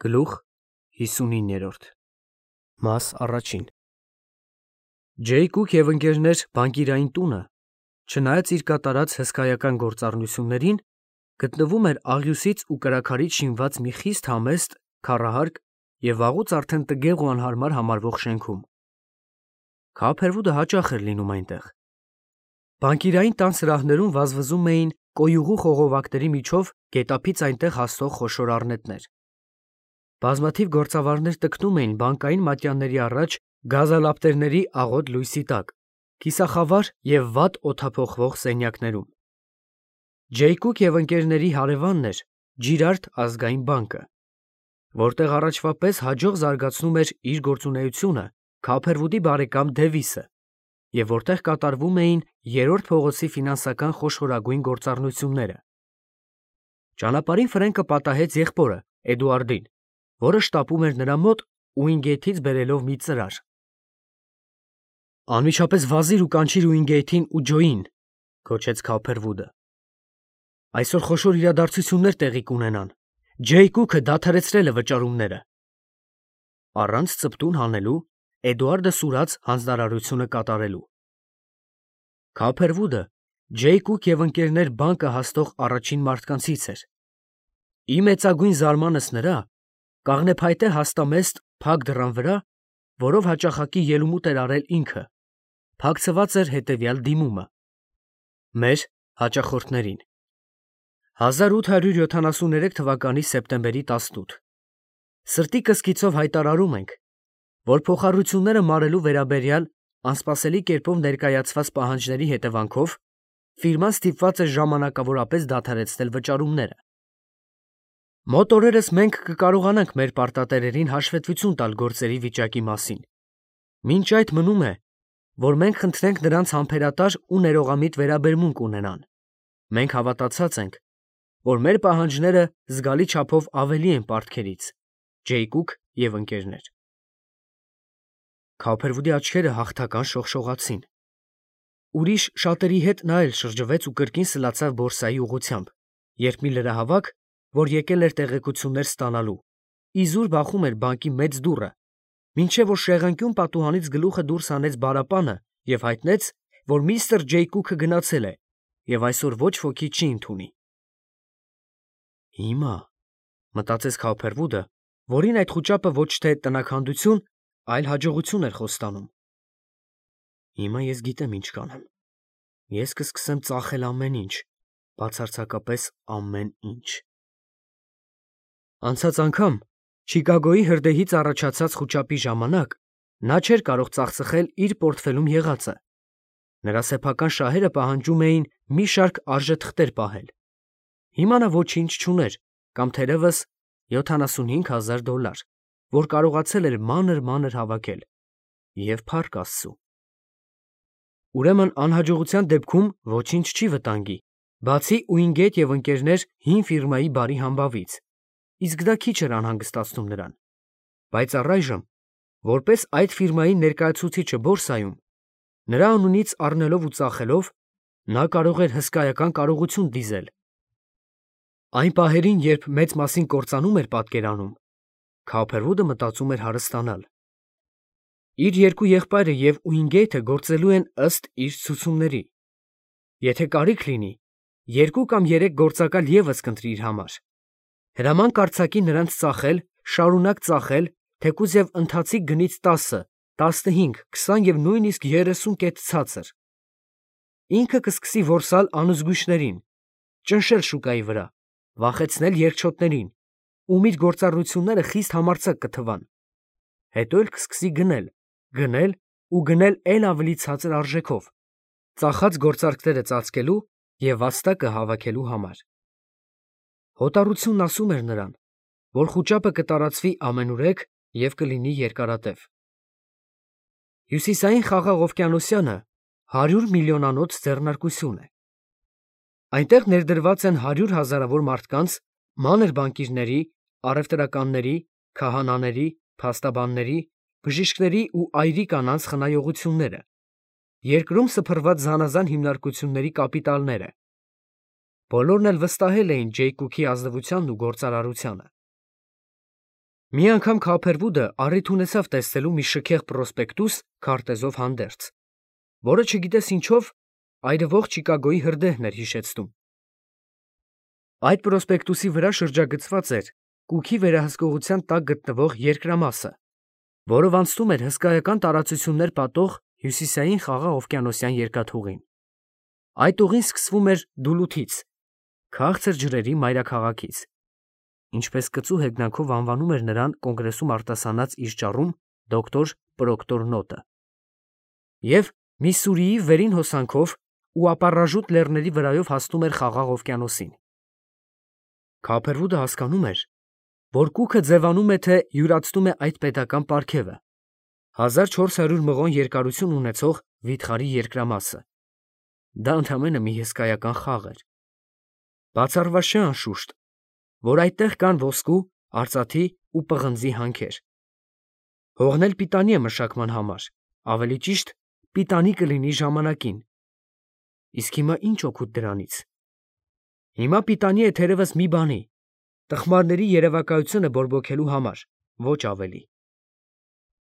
Գլուխ 59 Մաս առաջին Ջեյ Կուք և ընկերներ բանկիրային տունը, չնայած իր կատարած հսկայական գործառնություններին, գտնվում էր աղյուսից ու կրաքարից շինված մի խիստ համեստ, քառահարկ և վաղուց արդեն տգեղ ու անհարմար համարվող շենքում։ Քափերվուդը հաճախ էր լինում այնտեղ։ Բանկիրային տան սրահներում վազվզում էին կոյուղու խողովակների միջով գետափից այնտեղ հասնող խոշոր առնետներ։ Բազմաթիվ գործավարներ տքնում էին բանկային մատյանների առաջ գազալապտերների աղոտ լույսի տակ, կիսախավար և վատ օդափոխվող սենյակներում։ Ջեյ Կուք և ընկերների հարևանն էր Ջիրարդ ազգային բանկը, որտեղ առաջվա պես հաջող զարգացնում էր իր գործունեությունը Քափերվուդի բարեկամ Դևիսը, և որտեղ կատարվում էին երրորդ փողոցի ֆինանսական խոշորագույն գործառնությունները։ Ճանապարհին Ֆրենկը պատահեց եղբորը Էդուարդին, որը շտապում էր նրա մոտ Ուինգեյթից բերելով մի ծրար։ «Անմիջապես վազիր ու կանչիր Ուինգեյթին ու Ջոյին», գոչեց Քափերվուդը։ «Այսօր խոշոր իրադարձություններ տեղի կունենան։ Ջեյ Կուքը դադարեցրել է վճարումները»։ Առանց ծպտուն հանելու Էդուարդը սուրաց հանձնարարությունը կատարելու։ Քափերվուդը Ջեյ Կուք և ընկերներ բանկը հասնող առաջին մարդկանցից էր։ Ի մեծագույն զարմանս նրա, կաղնեփայտե հաստամեստ փակ դռան վրա, որով հաճախակի ելումուտ էր արել ինքը, փակցված էր հետևյալ դիմումը. «Մեր հաճախորդներին 1873 թվականի սեպտեմբերի 18 Սրտի կսկիցով հայտարարում ենք, որ փոխառությունները մարելու վերաբերյալ անսպասելի կերպով ներկայացված պահանջների հետևանքով ֆիրման ստիպված է ժամանակավորապես դադարեցնել վճարումները։ Մոտ օրերս մենք կկարողանանք մեր պարտատերերին հաշվետվություն տալ գործերի վիճակի մասին։ Մինչ այդ մնում է, որ մենք խնդրենք նրանց համբերատար ու ներողամիտ վերաբերմունք ունենան։ Մենք հավատացած ենք, որ մեր պահանջները զգալի չափով ավելի են պարտքերից։ Ջեյ Կուք և ընկերներ»։ Քափերվուդի աչքերը հաղթական շողշողացին։ Ուրիշ շատերի հետ նա էլ շրջվեց ու կրկին սլացավ բորսայի ուղղությամբ, երբ մի լրահավաք, որ եկել էր տեղեկություններ ստանալու, իզուր բախում էր բանկի մեծ դուռը, մինչև որ շեղանկյուն պատուհանից գլուխը դուրս հանեց բարապանը և հայտնեց, որ միստր Ջեյ Կուքը գնացել է և այսօր ոչ ոքի չի ընդունի։ «Հիմա», մտածեց Քափերվուդը, որին այդ խուճապը ոչ թե տնաքանդություն, այլ հաջողություն էր խոստանում։ «Հիմա ես գիտեմ ինչ կանեմ։ Ես կսկսեմ ծախել ամեն ինչ, բացարձակապես ամեն ինչ»։ Անցած անգամ Չիկագոյի հրդեհից առաջացած խուճապի ժամանակ նա չէր կարող ծախսխել իր պորտֆելում եղածը։ Նրա սեփական շահերը պահանջում էին մի շարք արժեթղթեր պահել։ Հիմա նա ոչինչ չուներ կամ թերևս $75,000, որ կարողացել էր մանր-մանր հավաքել, և փառք Աստծու։ Ուրեմն անհաջողության դեպքում ոչինչ չի վտանգի, բացի Ուինգեյթ և ընկերներ հին ֆիրմայի բարի համբավից, իսկ դա քիչ էր անհանգստացնում նրան։ Բայց առայժմ, որպես այդ ֆիրմայի ներկայացուցիչը բորսայում, նրա անունից առնելով ու ծախելով, նա կարող էր հսկայական կարողություն դիզել։ Այն պահերին, երբ մեծ մասին կործանում էր պատկերանում, Քափերվուդը մտածում էր հարստանալ։ Իր երկու եղբայրը և Ուինգեյթը գործելու են ըստ իր ցուցումների։ Եթե կարիք լինի, 2 կամ 3 գործակալ ևս կընտրի իր համար։ Հրաման կարձակի նրանց ծախել, շարունակ ծախել, թեկուզ և ընթացիկ գնից 10, 15, 20 և նույնիսկ 30 կետ ցածր։ Ինքը կսկսի որսալ անզգույշներին, ճնշել շուկայի վրա, վախեցնել երկչոտներին, ում իր գործառնությունները խիստ համարձակ կթվան։ Հետո էլ կսկսի գնել, գնել ու գնել էլ ավելի ցածր արժեքով, ծախած գործարքները ծածկելու և վաստակը հավաքելու համար։ Հոտառությունն ասում էր նրան, որ խուճապը կտարածվի ամենուրեք և կլինի երկարատև։ Հյուսիսային խաղաղ օվկիանոսյանը 100 միլիոնանոց ձեռնարկություն է։ Այնտեղ ներդրված են 100 հազարավոր մարդկանց, մանր բանկիրների, առևտրականների, քահանաների, փաստաբանների, բժիշկների ու այրի կանանց խնայողությունները, երկրում սփռված զանազան հիմնարկությունների կապիտալները։ Բոլորն էլ վստահել էին Ջեյ Կուքի ազնվությանն ու գործարարությանը։ Մի անգամ Քափերվուդը առիթ ունեցավ տեսնելու մի շքեղ պրոսպեկտուս քարտեզով հանդերձ, որը չգիտես ինչով այրվող Չիկագոյի հրդեհն էր հիշեցնում։ Այդ պրոսպեկտուսի վրա շրջագծված էր Կուքի վերահսկողության տակ գտնվող երկրամասը, որով անցնում էր հսկայական տարածություններ պատող հյուսիսային Խաղաղ օվկիանոսյան երկաթուղին։ Այդ ուղին սկսվում էր Դուլութից, քաղցր ջրերի մայրաքաղաքից, ինչպես կծու հեգնանքով անվանում էր նրան կոնգրեսում արտասանած իր ճառում դոկտոր Պրոկտոր Նոտը, և Միսսուրիի վերին հոսանքով ու ապառաժուտ լեռների վրայով հասնում էր Խաղաղ օվկիանոսին։ Քափերվուդը հասկանում էր, որ Կուքը ձևանում է, թե յուրացնում է այդ պետական պարգևը, 1400 մղոն երկարություն ունեցող վիթխարի երկրամասը։ Դա ընդամենը մի հսկայական խաղ էր։ Բացառված չէ անշուշտ, որ այդտեղ կան ոսկու, արծաթի ու պղնձի հանքեր։ Հողն էլ պիտանի է մշակման համար, ավելի ճիշտ պիտանի կլինի ժամանակին։ Իսկ հիմա ինչ օգուտ դրանից։ Հիմա պիտանի է թերևս մի բանի, տխմարների երևակայությունը բորբոքելու համար, ոչ ավելի։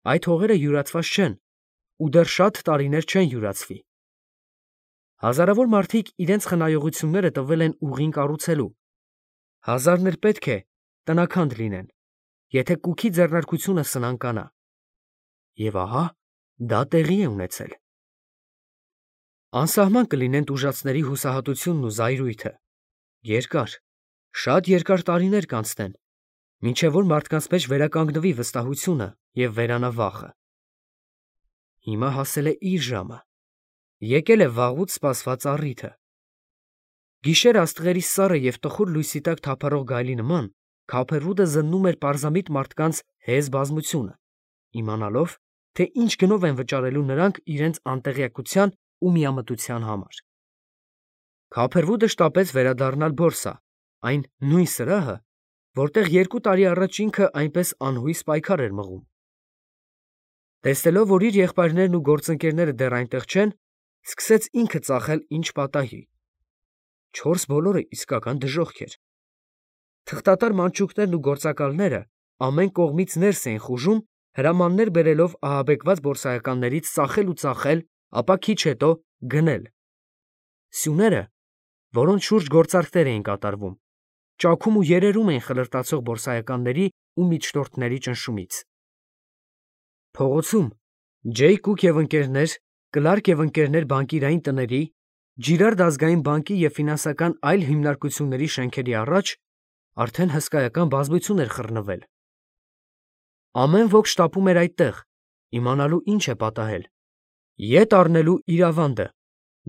Այդ հողերը յուրացված չեն ու դեռ շատ տարիներ չեն յուրացվի։ Հազարավոր մարդիկ իրենց խնայողությունները տվել են ուղին կառուցելու, հազարներ պետք է տնաքանդ լինեն, եթե Կուքի ձեռնարկությունը սնանկանա։ Եվ ահա դա տեղի է ունեցել։ Անսահման կլինեն տուժածների հուսահատությունն ու զայրույթը, երկար, շատ երկար տարիներ կանցնեն, մինչև որ մարդկանց մեջ վերականգնվի վստահությունը և վերանա վախը։ Հիմա հասել է իր ժամը, եկել է վաղուց սպասված առիթը։ Գիշեր աստղերի սառը և տխուր լույսի տակ թափառող գայլի նման Քափերվուդը զննում էր պարզամիտ մարդկանց հեզ բազմությունը, իմանալով, թե ինչ գնով են վճարելու նրանք իրենց անտեղյակության ու միամտության համար։ Քափերվուդը շտապեց վերադառնալ Բորսա, այն նույն սրահը, որտեղ 2 տարի առաջ ինքը այնպես անհույս պայքար էր մղում։ Տեսնելով, որ իր եղբայրներն ու գործընկերները դեռ այնտեղ չեն, սկսեց ինքը ծախել ինչ պատահի։ 4 բոլորը իսկական դժոխք էր։ Թղթատար մանչուկներն ու գործակալները ամեն կողմից ներս էին խուժում, հրամաններ բերելով ահաբեկված բորսայականներից ծախել ու ծախել, ապա քիչ հետո գնել։ Սյուները, որոնց շուրջ գործարքներ էին կատարվում, ճաքում ու երերում էին խլրտացող բորսայականների ու միջնորդների ճնշումից։ Փողոցում Ջեյ Կուք և ընկերներ, Կլարկ և ընկերներ բանկիրային տների, Ջիրարդ ազգային բանկի և ֆինանսական այլ հիմնարկությունների շենքերի առաջ արդեն հսկայական բազմություն էր խռնվել։ Ամեն ոք շտապում էր այդտեղ, իմանալու ինչ է պատահել, ետ առնելու իր ավանդը,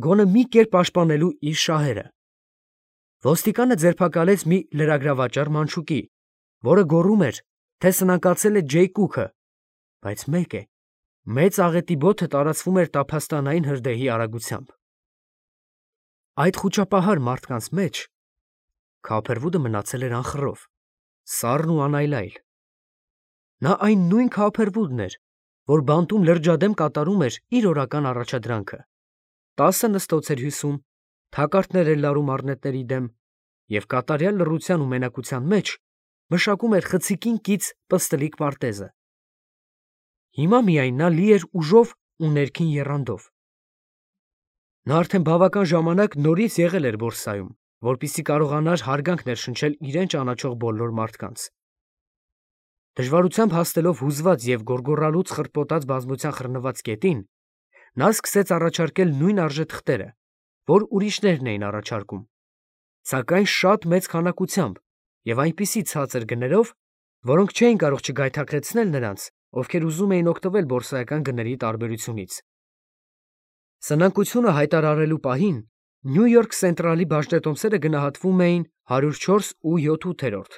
գոնե մի կերպ պաշտպանելու իր շահերը։ Ոստիկանը ձերբակալեց մի լրագրավաճառ մանչուկի, որը գոռում էր, թե սնանկացել է Ջեյ Կուքը, բայց մեկ է, մեծ աղետի բոթը տարածվում էր տափաստանային հրդեհի արագությամբ։ Այդ խուճապահար մարդկանց մեջ Քափերվուդը մնացել էր անխռով, սառն ու անայլայլ։ Նա այն նույն Քափերվուդն էր, որ բանտում լրջադեմ կատարում էր իր օրական առաջադրանքը, 10 նստոց էր հյուսում, թակարդներ էր լարում առնետների դեմ և կատարյալ լռության ու մենակության մեջ մշակում էր խցիկին կից պստլիկ պարտեզը։ Հիմա միայն նա լի էր ուժով ու ներքին եռանդով։ Նա արդեն բավական ժամանակ նորից եղել էր Բորսայում, որպեսզի կարողանար հարգանք ներշնչել իրեն ճանաչող բոլոր մարդկանց։ Դժվարությամբ հասնելով հուզված և գոռգոռալուց խրտպոտած բազմության խռնված կետին, նա սկսեց առաջարկել նույն արժեթղթերը, որ ուրիշներն էին առաջարկում, սակայն շատ մեծ քանակությամբ և այնպիսի ցածր գներով, որոնք չէին կարող չգայթակղեցնել նրանց, ովքեր ուզում էին օգտվել բորսայական գների տարբերությունից։ Սնանկությունը հայտարարելու պահին Նյու Յորք Սենտրալի բաժնետոմսերը գնահատվում էին 104 ու 7/8,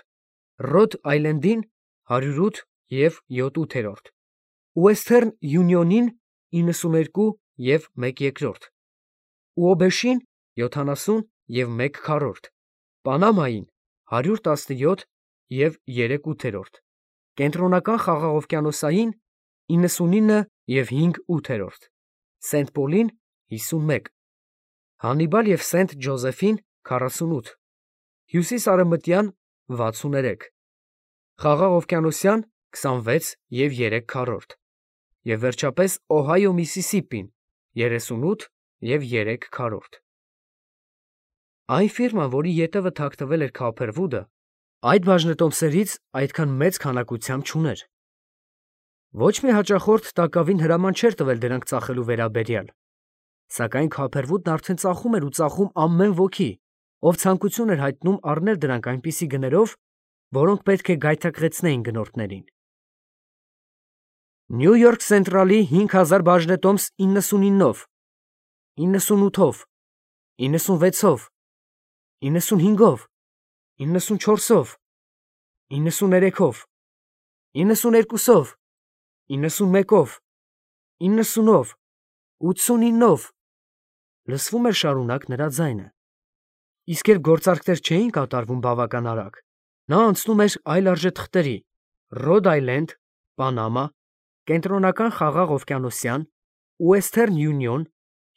Ռոդ Այլենդին 108 և 7/8, Ուեսթերն Յունիոնին 92 և 1/2, Ուոբեշին 70 և 1/4, Պանամային 117 և 3/8, Կենտրոնական խաղաղօվկիանոսային 99 և 5/8, Սենտ Պոլին 51, Հանիբալ և Սենտ Ջոզեֆին 48, Հյուսիսարևմտյան 63, Խաղաղօվկիանոսյան 26 և 3/4 և վերջապես Օհայո Միսիսիպին 38 և 3/4։ Այն ֆիրման, որի ետևը թաքնվել էր Քոփերվուդը, այդ բաժնետոմսերից այդքան մեծ քանակությամբ չուներ։ Ոչ մի հաճախորդ տակավին հրաման չէր տվել դրանք ծախելու վերաբերյալ, սակայն Քոփերվուդն արդեն ծախում էր ու ծախում ամեն ոքի, ով ցանկություն էր հայտնում առնել դրանք այնպիսի գներով, որոնք պետք է գայթակղեցնեին գնորդներին։ Նյու Յորք Սենտրալի 5000 բաժնետոմս 99-ով, 98-ով, 96-ով, 95-ով, 94-ով, 93-ով, 92-ով, 91-ով, 90-ով, 89-ով, լսվում էր շարունակ նրա ձայնը։ Իսկ երբ գործարքներ չէին կատարվում բավական արագ, նա անցնում էր այլ արժեթղթերի՝ Ռոդ Այլենդ, Պանամա, Կենտրոնական խաղաղօվկիանոսյան, Ուեսթերն Յունիոն,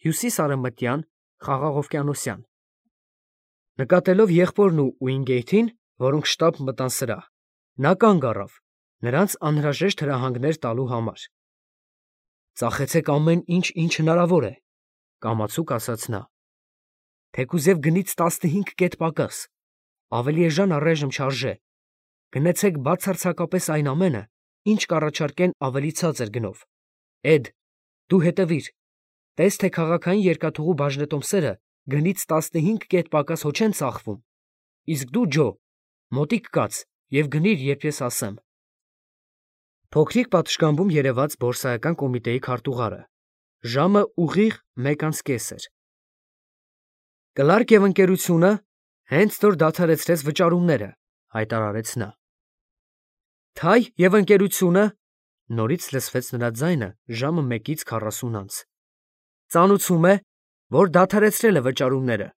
Հյուսիսարևմտյան խաղաղօվկիանոսյան։ Նկատելով եղբորն ու Ուինգեյթին, որոնք շտապ մտան սրահ, նա կանգ առավ, նրանց անհրաժեշտ հրահանգներ տալու համար։ «Ծախեցեք ամեն ինչ, ինչ հնարավոր է», կամացուկ ասաց նա։ «Թեկուզև գնից 15 կետ պակաս, ավելի էժան առայժմ չարժե, գնեցեք բացարձակապես այն ամենը, ինչ կառաջարկեն ավելի ցածր գնով։ Էդ, դու հետևիր, տես թե քաղաքային երկաթուղու բաժնետոմսերը գնից 15 կետ պակաս հո չեն ծախվում, իսկ դու, Ջո, մոտիկ կաց և գնիր, երբ ես ասեմ»։ Փոքրիկ պատշգամբում երևաց բորսայական կոմիտեի քարտուղարը, ժամը ուղիղ 1:30 էր։ «Կլարկ և ընկերությունը հենց որ դադարեցրեց վճարումները», հայտարարեց նա։ «Թայ և ընկերությունը», նորից լսվեց նրա ձայնը ժամը 1:40, «ծանուցում է, որ դադարեցրել է վճարումները»։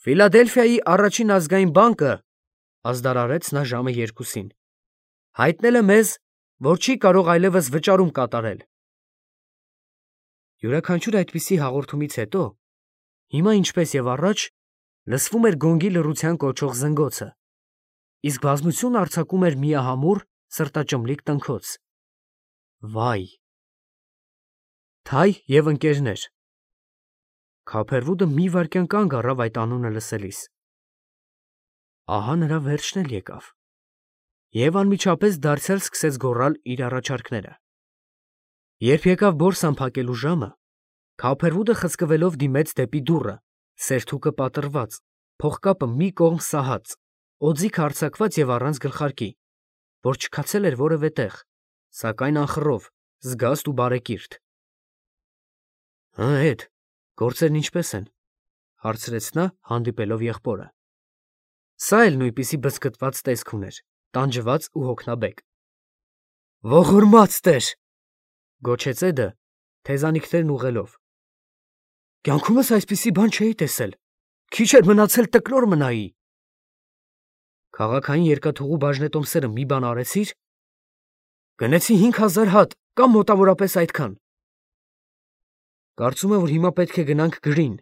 «Ֆիլադելֆիայի առաջին ազգային բանկը», ազդարարեց նա ժամը 2-ին, «հայտնել է մեզ, որ չի կարող այլևս վճարում կատարել»։ Յուրաքանչյուր այդպիսի հաղորդումից հետո, հիմա ինչպես և առաջ, լսվում էր գոնգի լռության կոչող զնգոցը, իսկ բազմությունը արձակում էր միահամուռ, սրտաճմլիկ տնքոց. «Վայ»։ Թայ և ընկերներ։ Քոփերվուդը մի վայրկյան կանգ առավ այդ անունը լսելիս։ Ահա նրա վերջն էլ եկավ։ Եվ անմիջապես դարձյալ սկսեց գոռալ իր առաջարկները։ Երբ եկավ բորսան փակելու ժամը, Քոփերվուդը խցկվելով դիմեց դեպի դուռը, սերթուկը պատռված, փողկապը մի կողմ սահած, օձիքը արձակված և առանց գլխարկի, որ չքացել էր որևէ տեղ, սակայն անխռով, զգաստ ու բարեկիրթ։ «Հը, Էդ, գործերն ինչպե՞ս են», հարցրեց նա, հանդիպելով եղբորը։ Սա էլ նույնպիսի բզկտված տեսք ուներ, տանջված ու հոգնաբեկ։ «Ողորմած Տեր», գոչեց Էդը, թեզանիքներն ուղղելով։ «Կյանքումս այսպիսի բան չէի տեսել, քիչ էր մնացել տկլոր մնայի»։ «Քաղաքային երկաթուղու բաժնետոմսերը մի բան արեցի՞ր»։ «Գնեցի 5000 հատ, կամ մոտավորապես այդքան»։ «Կարծում եմ, որ հիմա պետք է գնանք Գրին»։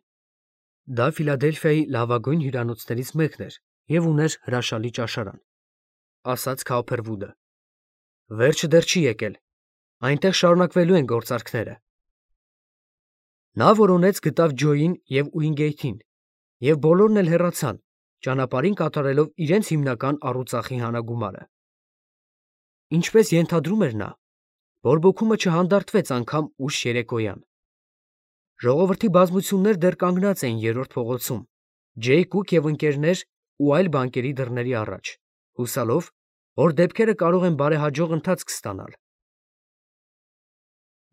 Դա Ֆիլադելֆիայի լավագույն հյուրանոցներից մեկն էր և ուներ հրաշալի ճաշարան, ասաց Քոփերվուդը։ «Վերջը դեռ չի եկել, այնտեղ շարունակվելու են գործարքները»։ Նա որոնեց գտավ Ջոյին և Ուինգեյթին, և բոլորն էլ հեռացան, ճանապարհին կատարելով իրենց հիմնական առուծախի հանագումարը։ Ինչպես ենթադրում էր նա, բորբոքումը չհանդարտվեց անգամ ուշ երեկոյան։ Ժողովրդի բազմություններ դեռ կանգնած էին Երրորդ փողոցում, Ջեյ Կուք և ընկերներ ու այլ բանկերի դռների առաջ, հուսալով, որ դեպքերը կարող են բարեհաջող ընթացք ստանալ։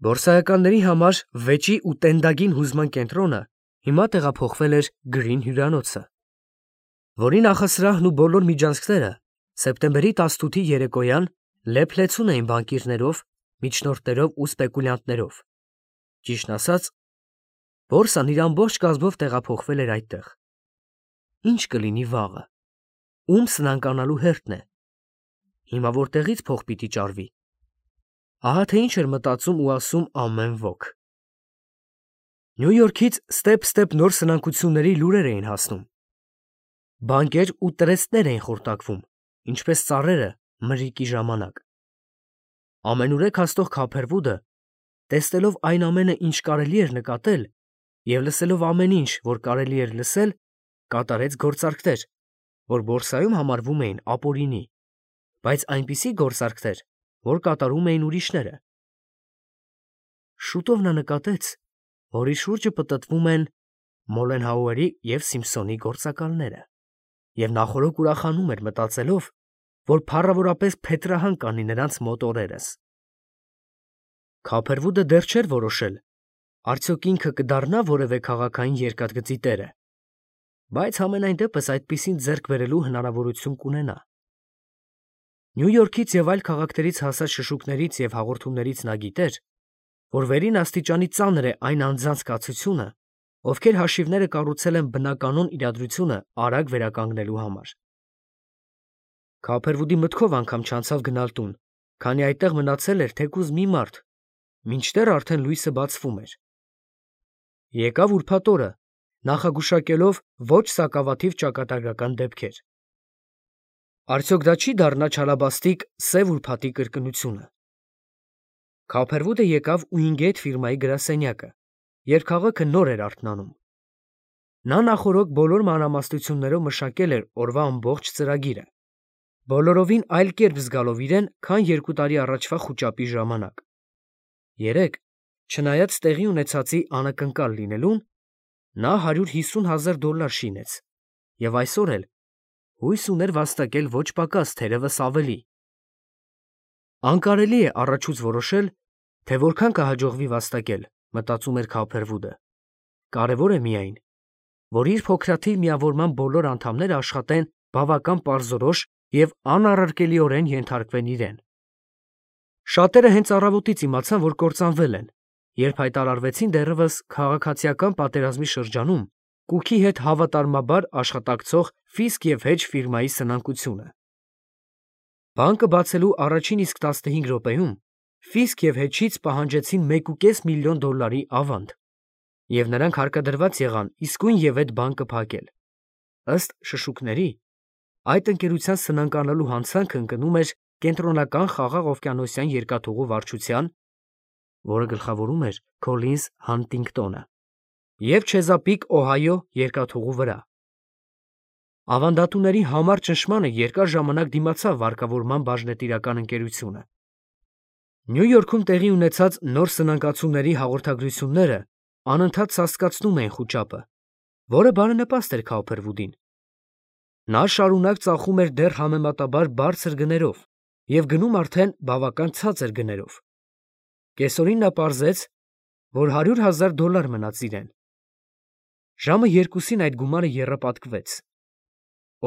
Բորսայականների համար վեճի ու տենդագին հուզման կենտրոնը հիմա տեղափոխվել էր Գրին հյուրանոցը, որի նախասրահն ու բոլոր միջանցքները սեպտեմբերի 18-ի երեկոյան լեփ-լեցուն էին բանկիրներով, միջնորդներով ու սպեկուլյանտներով։ Ճիշտն ասած, բորսան իր ամբողջ կազմով տեղափոխվել էր այդտեղ։ Ինչ կլինի վաղը, ում սնանկանալու հերթն է, հիմա որտեղից փող պիտի ճարվի։ Ահա թե ինչ էր մտածում ու ասում ամեն ոք։ Նյու Յորքից ստեպ նոր սնանկությունների լուրեր էին հասնում։ Բանկեր ու տրեստներ էին խորտակվում, ինչպես ծառերը, մրրիկի ժամանակ։ Ամենուրեք հաստող Քափերվուդը, տեսնելով այն ամենը, ինչ կարելի էր նկատել, և լսելով ամեն ինչ, որ կարելի էր լսել, կատարեց գործարքներ, որ բորսայում համարվում էին ապօրինի, բայց այնպիսի գործարքներ, որ կատարում էին ուրիշները։ Շուտով նա նկատեց, որ իր շուրջը պտտվում են Մոլենհաուերի և Սիմփսոնի գործակալները, և նախօրոք ուրախանում էր մտածելով, որ փառավորապես փետրահան կանի նրանց մոտ օրերս։ Քափերվուդը դեռ չէր որոշել, արդյոք ինքը կդառնա որևէ քաղաքային երկաթգծի տերը, բայց համենայն դեպս այդպիսին ձեռք բերելու հնարավորություն կունենա։ Նյու Յորքից և այլ քաղաքներից հասած շշուկներից և հաղորդումներից նա գիտեր, որ վերին աստիճանի ծանր է այն անձանց կացությունը, ովքեր հաշիվները կառուցել են բնականոն իրադրությունը արագ վերականգնելու համար։ Քափերվուդի մտքով անգամ չանցավ գնալ տուն, քանի այդտեղ մնացել էր թեկուզ մի մարդ, մինչդեռ արդեն լույսը բացվում էր։ Եկավ ուրբաթ օրը, նախագուշակելով ոչ սակավաթիվ ճակատագրական դեպքեր։ Արդյոք դա չի դառնա չալաբաստիկ սև ուրբաթի կրկնությունը։ Քափերվուդը եկավ Ուինգեյթ ֆիրմայի գրասենյակը, երբ քաղաքը նոր էր արթնանում։ Նա նախօրոք բոլոր մանրամասնություններով մշակել էր օրվա ամբողջ ծրագիրը, բոլորովին այլ կերպ զգալով իրեն, քան 2 տարի առաջվա խուճապի ժամանակ։ Երեկ, չնայած տեղի ունեցածի անակնկալ լինելուն, նա $150,000 շինեց, և այսօր էլ հույս ուներ վաստակել ոչ պակաս, թերևս ավելի։ Անկարելի է առաջուց որոշել, թե որքան կհաջողվի վաստակել, մտածում էր Քափերվուդը։ Կարևոր է միայն, որ իր փոքրաթիվ միավորման բոլոր անդամները աշխատեն բավական պարզորոշ և անառարկելիորեն ենթարկվեն իրեն։ Շատերը հենց առավոտից իմացան, որ կործանվել են, երբ հայտարարվեցին դեռևս քաղաքացիական պատերազմի շրջանում Կուքի հետ հավատարմաբար աշխատակցող Ֆիսկ և Հեջ ֆիրմայի սնանկությունը։ Բանկը բացելու առաջին իսկ 15 րոպեում Ֆիսկ և Հեջից պահանջեցին $1.5 միլիոն ավանդ, և նրանք հարկադրված եղան իսկույն այդ բանկը փակել։ Ըստ շշուկների, այդ ընկերության սնանկանալու հանցանքը ընկնում էր Կենտրոնական խաղաղ օվկիանոսյան երկաթուղու վարչության, որը գլխավորում էր Քոլինզ Հանտինգտոնը, և Չեզապիկ, Օհայո երկաթուղու վրա։ Ավանդատուների համառ ճնշմանը երկար ժամանակ դիմացավ վարկավորման բաժնետիրական ընկերությունը։ Նյու Յորքում տեղի ունեցած նոր սնանկացումների հաղորդագրությունները անընդհատ սաստկացնում էին խուճապը, որը բարենպաստ էր Քափերվուդին։ Նա շարունակ ծախում էր դեռ համեմատաբար բարձր գներով և գնում արդեն բավական ցածր գներով։ Կեսօրին նա պարզեց, որ $100,000 մնաց իրեն։ Ժամը 2-ին այդ գումարը եռապատկվեց։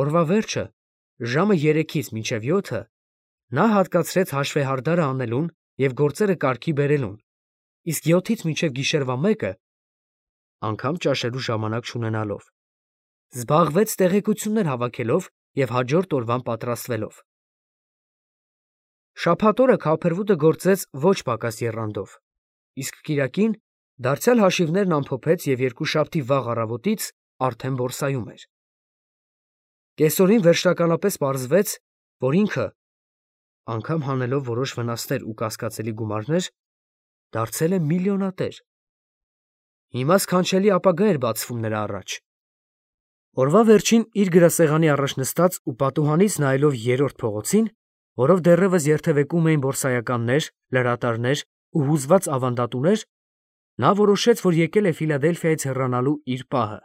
Օրվա վերջը, ժամը 3-ից մինչև 7-ը, նա հատկացրեց հաշվեհարդարը անելուն և գործերը կարգի բերելուն, իսկ 7-ից մինչև գիշերվա 1-ը (անգամ ճաշելու ժամանակ չունենալով) զբաղվեց տեղեկություններ հավաքելով և հաջորդ օրվան պատրաստվելով։ Շաբաթ օրը Քափերվուդը գործեց ոչ պակաս եռանդով, իսկ կիրակին դարձյալ հաշիվներն ամփոփեց և երկուշաբթի վաղ առավոտից արդեն բորսայում էր։ Կեսօրին վերջնականապես պարզվեց, որ ինքը, անգամ հանելով որոշ վնասներ ու կասկածելի գումարներ, դարձել է միլիոնատեր։ Հիմա սքանչելի ապագա էր բացվում նրա առաջ։ Օրվա վերջին իր գրասեղանի առաջ նստած ու պատուհանից նայելով երրորդ փողոցին, որով դեռևս երթևեկում էին բորսայականներ, լրատարներ ու հուզված ավանդատուներ, նա որոշեց, որ եկել է Ֆիլադելֆիայից հեռանալու իր պահը։